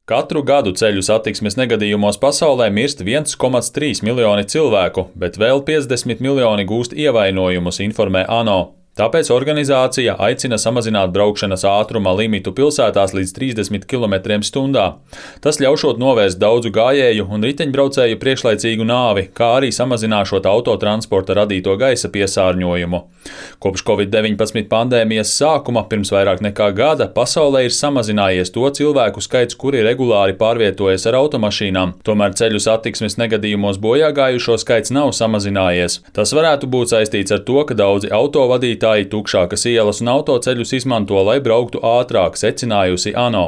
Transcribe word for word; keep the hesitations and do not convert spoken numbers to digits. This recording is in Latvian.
Katru gadu ceļu satiksmes negadījumos pasaulē mirst viens komats trīs miljoni cilvēku, bet vēl piecdesmit miljoni gūst ievainojumus, informē ANO. Tāpēc organizācija aicina samazināt braukšanas ātruma limitu pilsētās līdz trīsdesmit kilometriem stundā. Tas ļaušot novērst daudzu gājēju un riteņbraucēju priekšlaicīgu nāvi, kā arī samazināšot autotransporta radīto gaisa piesārņojumu. Kopš covid deviņpadsmit pandēmijas sākuma pirms vairāk nekā gada pasaulē ir samazinājies to cilvēku skaits, kuri regulāri pārvietojas ar automašīnām. Tomēr ceļu satiksmes negadījumos bojāgājušo skaits nav samazinājies. Tas varētu būt saistīts ar to, ka daudzi autovadītāji tukšākas ielas un autoceļus izmanto, lai brauktu ātrāk, secinājusi ANO.